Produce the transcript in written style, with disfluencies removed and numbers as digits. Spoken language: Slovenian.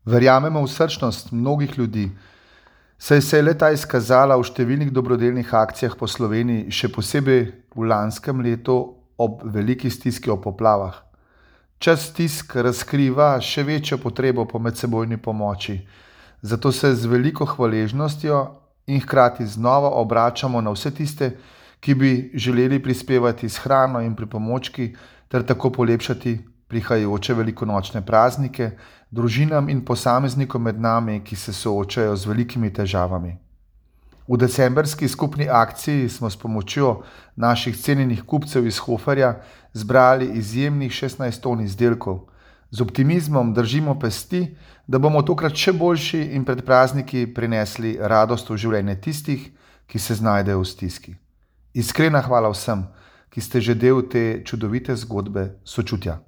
Verjamemo v srčnost mnogih ljudi, saj se je le-ta izkazala v številnih dobrodelnih akcijah po Sloveniji, še posebej v lanskem letu ob veliki stiski ob poplavah. Čas stisk razkriva še večjo potrebo po medsebojni pomoči, zato se z veliko hvaležnostjo in hkrati znova obračamo na vse tiste, ki bi želeli prispevati s hrano in pripomočki ter tako polepšati prihajajoče velikonočne praznike družinam in posameznikom med nami, ki se soočajo z velikimi težavami. V decembrski skupni akciji smo s pomočjo naših cenjenih kupcev iz Hoferja zbrali izjemnih 16 ton izdelkov. Z optimizmom držimo pesti, da bomo tokrat še boljši in pred prazniki prinesli radost v življenje tistih, ki se znajdejo v stiski. Iskrena hvala vsem, ki ste že del te čudovite zgodbe sočutja.